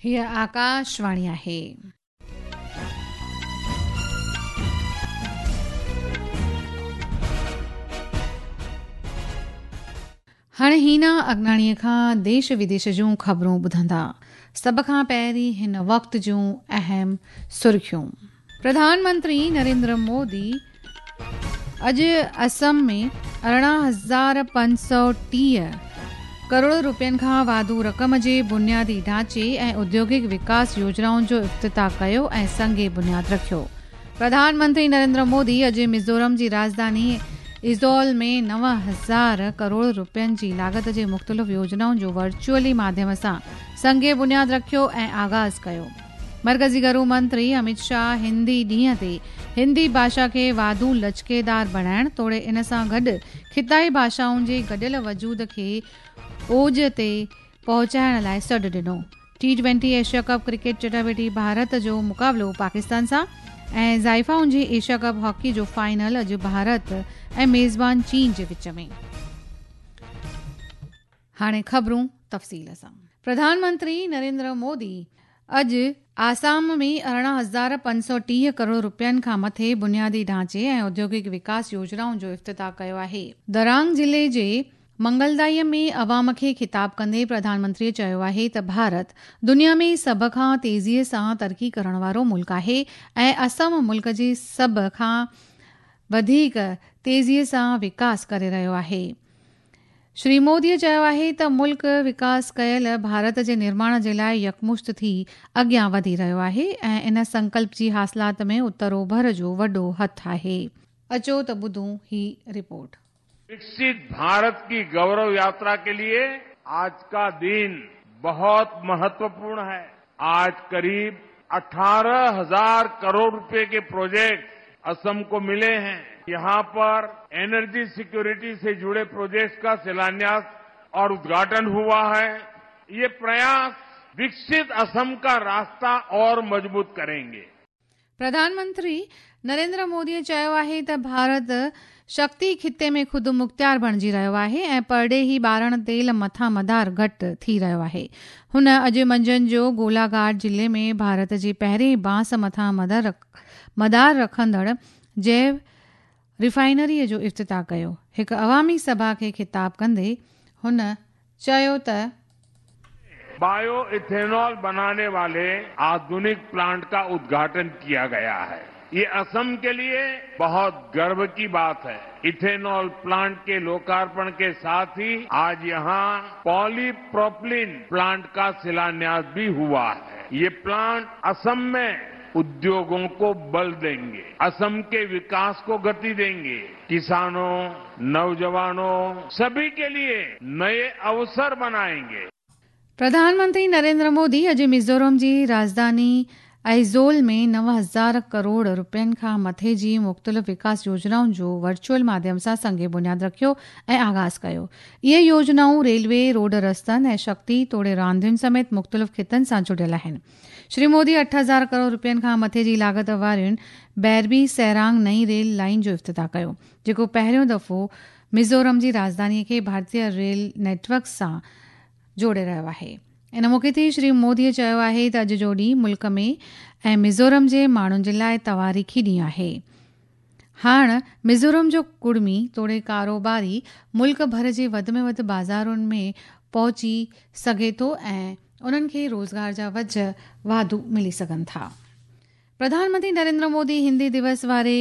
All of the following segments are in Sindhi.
هيء آڪاشواڻي آهي. هاڻي هينا اگناڻيء کان ديش وديش جون خبرون ٻڌندا. سڀ کان پهرين هن وقت جون اهم سرخيون. پرڌان منتري نريندر مودي اڄ اسم ۾ 18,530 ڪروڙ روپين کان واڌو رقم جي بنيادي ڍانچي ۽ اوديوگڪ وڪاس يوجنائن جو افتتاح ڪيو ۽ سنگ بنياد رکيو. پرڌان منتري نريندر مودي اڄ ميزورم جي راڄڌاني ائزول ۾ 9000 ڪروڙ روپين جي لاڳت جي مختلف يوجنائن جو ورچوئلي ماڌيم سان سنگ بنياد رکيو ۽ آغاز ڪيو. مرڪزي گهرو منتري اميت شاهه هندي ڏينهن تي هندي ڀاشا کي واڌو لچڪيدار بڻائڻ توڙي ان سان گڏ خطائي ڀاشائن جي گڏيل وجود کي اوج تي پهچائڻ لاء سڏ ڏنو. T twenty Asia cup cricket چٽاڀيٽي ڀارت جو مقابلو پاڪستان سان ۽ زائفائن جي ايشيا ڪپ هاڪي جو فائنل اڄ ڀارت ۽ ميزبان چين جي وچ ۾. هاڻي خبرون تفصيل سان. پرڌان منتري نريندر مودي اڄ آسام ۾ 18,530 ڪروڙ روپين کان مٿي بنيادي ڍانچي ۽ اوديوگڪ وڪاس يوجنائن جو افتتاح ڪيو آهي. درانگ ضلعي جي منگلدائي ۾ عوام کي خطاب ڪندي پرڌان منتري چيو آهي ته ڀارت دنيا ۾ سڀ کان تيزي سان ترقي ڪرڻ وارو ملڪ آهي ۽ اسم ملڪ جي سڀ کان وڌيڪ تيزي سان وڪاس ڪري رهيو آهي. شري مودي چيو آهي ته ملڪ وڪاس ڪيل ڀارت جي نرماڻ جي لاء يڪمشت ٿي اڳيان وڌي رهيو آهي ۽ ان سنڪلپ جي حاصلات ۾ اتر اوڀر جو وڏو هٿ آهي. اچو ته ٻڌون هي رپورٽ. विकसित भारत की गौरव यात्रा के लिए आज का दिन बहुत महत्वपूर्ण है। आज करीब 18,000 करोड़ रुपए के प्रोजेक्ट असम को मिले हैं। यहां पर एनर्जी सिक्योरिटी से जुड़े प्रोजेक्ट्स का शिलान्यास और उद्घाटन हुआ है। ये प्रयास विकसित असम का रास्ता और मजबूत करेंगे। پرڌان منتري نريندر مودي چيو آهي ته ڀارت شڪتي خطي ۾ خود مختيار بڻجي رهيو آهي ۽ پرڏيهي ٻارڻ تيل مٿان مدار گهٽ ٿي رهيو آهي. هن اڄ منجهند جو گولاگهاٽ ضلعي ۾ ڀارت جي پهرين بانس مٿان مدار رکندڙ جيو ريفائنري جو افتتاح ڪيو. هڪ عوامي سڀا کي خطاب ڪندي هن چيو ته. بايو ايٿينول بناني والي آڌونڪ پلانٽ ڪا ادگهاٽن ڪيا گيا هي. يي اسم ڪي ليي بهت گرو ڪي بات هي. ايٿينول پلانٽ ڪي لوڪارپڻ ڪي ساٿ هي آج يهان پولي پروپلين پلانٽ ڪا شلانياس ڀي هوا هي. يي پلانٽ اسم مين اديوگون ڪو بل دينگي. اسم ڪي وڪاس ڪو گتي دينگي. ڪسانو، نوجوانو سڀي ڪي ليي نئي اوسر بنائينگي. پرڌان منتري نريندر مودي اڄ ميزورم جي راڄڌاني ائزول ۾ 9000 ڪروڙ روپين کان مٿي جي مختلف وڪاس يوجنائن جو ورچوئل ماڌيم سان سنگ بنياد رکيو ۽ آغاز ڪيو. اهي يوجنائون ريلوي، روڊ رستن ۽ شڪتي توڙي راندين سميت مختلف خطن سان جڙيل آهن. شري مودي 8000 ڪروڙ روپين کان مٿي جي لاڳت وارين بيربي سيرانگ نئين ريل لائين جو افتتاح ڪيو، جيڪو پهريون دفعو ميزورم جي راڄڌاني کي ڀارتي ريل نيٽ ورڪ سان جوڙي رهيو آهي. ان موقعي تي شري مودي چيو آهي ته اڄ جو ڏينهن ملڪ ۾ ۽ ميزورم جي ماڻهن جي لاء تواريخي ڏينهن آهي. هاڻ ميزورم جو ڪڙمي توڙي ڪاروباري ملڪ ڀر جي وڌ ۾ وڌ بازارن ۾ پهچي سگهي ٿو ۽ انهن کي روزگار جا وجهه واڌو ملي سگهن ٿا. پرڌان منتري نريندر مودي هندي دوس واري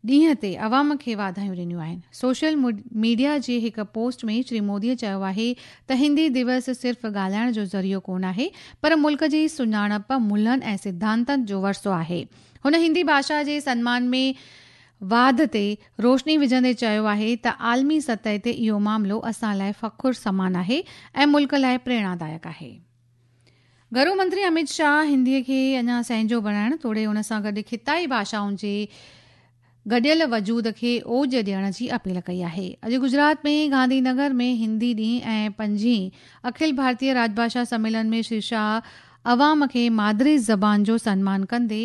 ڏينهن تي عوام کي واڌايون ڏنيون آهن. سوشل ميڊيا جي هڪ پوسٽ ۾ شري مودي چيو آهي ته هندي دوس صرف ڳالهائڻ جو ذريعو ڪونه آهي پر ملڪ جي سڃاڻپ، ملهن ۽ سڌانتن جو ورثو آهي. هن هندي ڀاشا جي سنمان ۾ واڌ تي روشني وجهندي چيو آهي ته عالمي سطح تي اهو معاملو اسان لاء فخر سمان آهي ۽ ملڪ لاء پريرڻادائڪ آهي. گهرو منتري اميت شاهه هندي کي اڃا سهنجو بڻائڻ توڙي ان سان گڏ خطائي ڀاشائن جي گڏيل وجود کي اوج ڏيڻ جي اپيل ڪئي آهي. اڄ گجرات ۾ گانڌي نگر ۾ هندي ڏينهن ۽ پنجين اکل ڀارتيه راڄ ڀاشا سميلن ۾ شري شاهه عوام کي مادري زبان جو سنمان ڪندي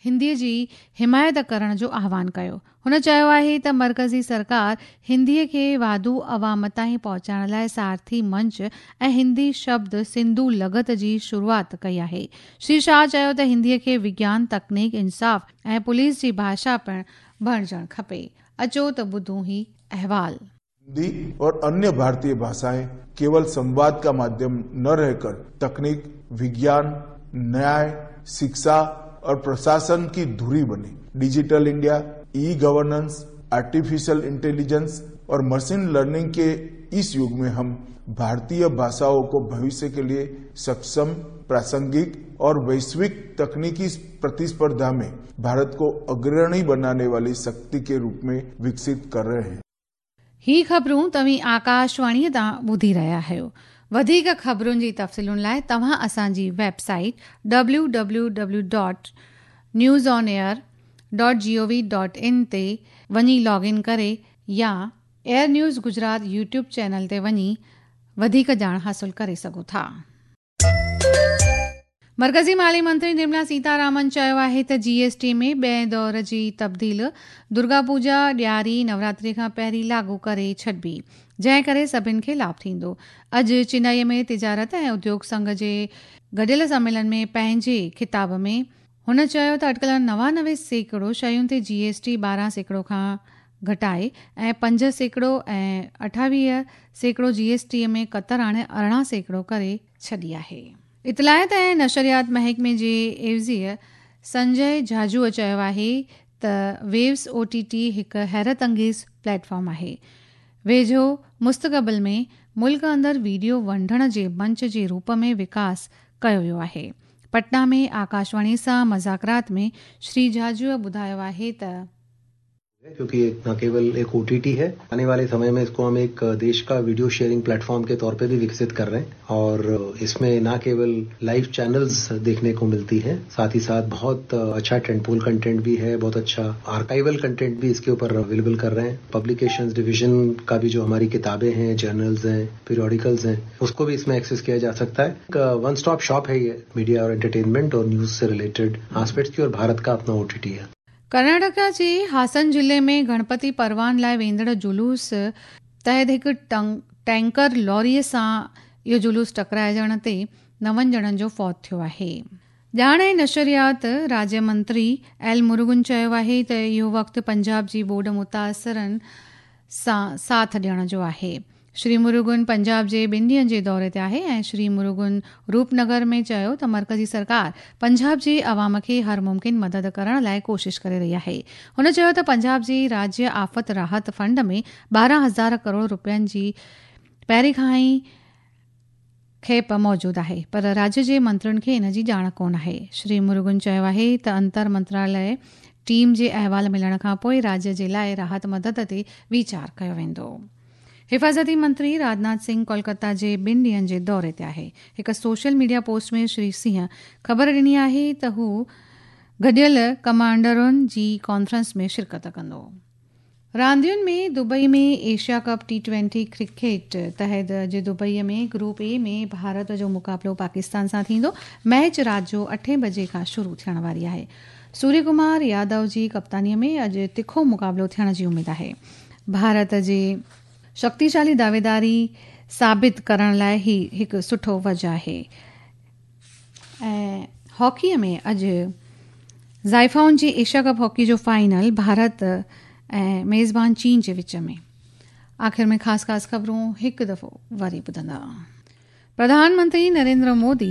هندي جي حمايت ڪرڻ جو آهوان ڪيو. هن چيو آهي ته مرڪزي سرڪار هندي کي واڌو عوام تائين پهچائڻ لاء سارٿي منچ ۽ هندي شبد سنڌو لغت جي شروعات ڪئي آهي. شري شاهه چيو ته هندي کي وگيان، تڪنيڪ، انصاف ۽ پوليس جي ڀاشا پڻ بڻجڻ کپي. اچو ته ٻڌون هي احوال. हिंदी और अन्य भारतीय भाषाएं केवल संवाद का माध्यम न रहकर तकनीक, विज्ञान, न्याय, शिक्षा और प्रशासन की धुरी बने। Digital India, e governance, artificial intelligence और मशीन लर्निंग के इस युग में हम भारतीय भाषाओं को भविष्य के लिए सक्षम, प्रासंगिक और वैश्विक तकनीकी प्रतिस्पर्धा में भारत को अग्रणी बनाने वाली शक्ति के रूप में विकसित कर रहे हैं। هي خبرون توهين آڪاشواڻيء تان ٻڌي رهيا آهيو. وڌيڪ خبرن جي تفصيلن لاء توهان اسان جي website W W W dot news on air dot G O V dot in تي وڃي لاگ ان ڪري يا air news Gujarat YouTube channel تي وڃي وڌيڪ ڄاڻ حاصل ڪري سگهو ٿا. مرڪزي مالي منتري نرملا سيتارامن چيو آهي ته جي ايس ٽي ۾ ٻئين دور جي تبديل درگا پوڄا، ڏياري، نوراتري کان پهرين لاڳو ڪري ڇڏبي، جنهن ڪري سڀن کي لاڀ ٿيندو. اڄ چنائي ۾ تجارت ۽ اديوگ سنگهه جي گڏيل سميلن ۾ پنهنجي خطاب ۾ هن چيو ته اٽڪل 99% شين تي جي ايس ٽي 12% کان گهٽائي ۽ 5% ۽ 28% جي ايس ٽي ۾ ڪتر آڻي 18% ڪري ڇڏي آهي. اطلاعات ۽ نشريات محڪمي جي عيوضيء سنجي جهاجوء چيو آهي ته ويوز او ٽي ٽي هڪ حيرت انگيز پليٽ فارم آهي. ويجهو مستقبل ۾ ملڪ اندر ويڊيو ونڊڻ جي منچ جي روپ ۾ وڪاس ڪيو ويو آهي. پٽنا ۾ آڪاشواڻي سان مذاڪرات ۾ شري جهاجوء ٻڌايو آهي ته. क्योंकि ये न केवल एक ओटीटी है, आने वाले समय में इसको हम एक देश का वीडियो शेयरिंग प्लेटफॉर्म के तौर पे भी विकसित कर रहे हैं और इसमें न केवल लाइव चैनल्स देखने को मिलती है, साथ ही साथ बहुत अच्छा टेंटपोल कंटेंट भी है, बहुत अच्छा आर्काइवल कंटेंट भी इसके ऊपर अवेलेबल कर रहे हैं। पब्लिकेशंस डिवीजन का भी जो हमारी किताबें हैं, जर्नल्स हैं, पीरियोडिकल्स हैं, उसको भी इसमें एक्सेस किया जा सकता है। एक वन स्टॉप शॉप है ये मीडिया और एंटरटेनमेंट और न्यूज से रिलेटेड एस्पेक्ट्स की और भारत का अपना ओटीटी है। ڪرناٽڪا جي هاسن ضلعي ۾ گڻپتي پروان لاء ويندڙ جلوس تحت هڪ ٽينڪر لاري سان اهو جلوس ٽڪرائجڻ تي نون ڄڻن جو فوت ٿيو آهي. ڄاڻ ۽ نشريات راجيه منتري ايل مرگن چيو آهي ته اهو وقت پنجاب جي ٻوڏ متاثرن سان ساٿ ڏيڻ جو آهي. شري مروگن پنجاب جي ٻن ڏينهن جي دوري تي آهي ۽ شري مروگن روپ نگر ۾ چيو ته مرڪزي سرڪار پنجاب جي عوام کي هر ممڪن مدد ڪرڻ لاء ڪوشش ڪري رهي آهي. هن چيو ته پنجاب جي راجيه آفت راحت فنڊ ۾ 12 هزار ڪروڙ رپين جي پهرين کان ئي کيپ موجود آهي پر راجيه جي منترين کي ان جي ڄاڻ ڪونه آهي. شري مروگن چيو آهي ته انتر منتراليه ٽيم جي احوال ملڻ کانپوء راجيه جي لاء راحت مدد تي ويچار ڪيو ويندو. حفاظتي منتري راجناٿ سنگهه ڪولڪتا جي ٻن ڏينهن جي دوري تي آهي. هڪ social media post ۾ Shri Singh خبر ڏني آهي ته هو گڏيل ڪمانڊرن جي ڪانفرنس ۾ شرڪت ڪندو. راندين ۾ Dubai ۾ Asia cup T twenty cricket تحت اڄ دبئي ۾ گروپ اي ۾ ڀارت جو مقابلو پاڪستان سان ٿيندو. ميچ رات جو اٺين بجي کان شروع ٿيڻ واري آهي. سوريه ڪمار يادو جي ڪپتاني ۾ اڄ تکو مقابلو ٿيڻ جي اميد آهي. ڀارت جي شڪتيشالي دعويداري ثابت ڪرڻ لاء هي هڪ سٺو وجهه آهي ۽ هاڪي ۾ اڄ زائفائن جي ايشيا ڪپ هاڪي جو فائنل ڀارت ۽ ميزبان چين جي وچ ۾. آخر ۾ خاص خاص خبرون هڪ دفعو وري ٻڌندا. پرڌان منتري نريندر مودي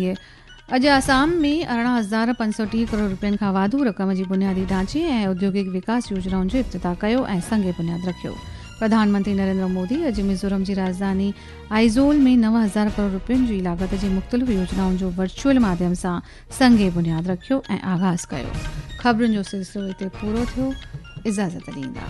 اڄ آسام ۾ 18,530 ڪروڙ رپين کان واڌو رقم جي بنيادي ڍانچي ۽ اوديوگڪ وڪاس يوجنائن جو افتتاح ڪيو ۽ سنگ بنياد رکيو. پرڌان منتري نريندر مودي اڄ ميزورم جي راڄڌاني آئزول ۾ 9000 ڪروڙ رپين جي لاڳت جي مختلف يوجنائن جو ورچوئل ماڌيم سان سنگ بنياد رکيو ۽ آغاز ڪيو. خبرن جو سلسلو هتي پورو ٿيو. اجازت ڏيندا.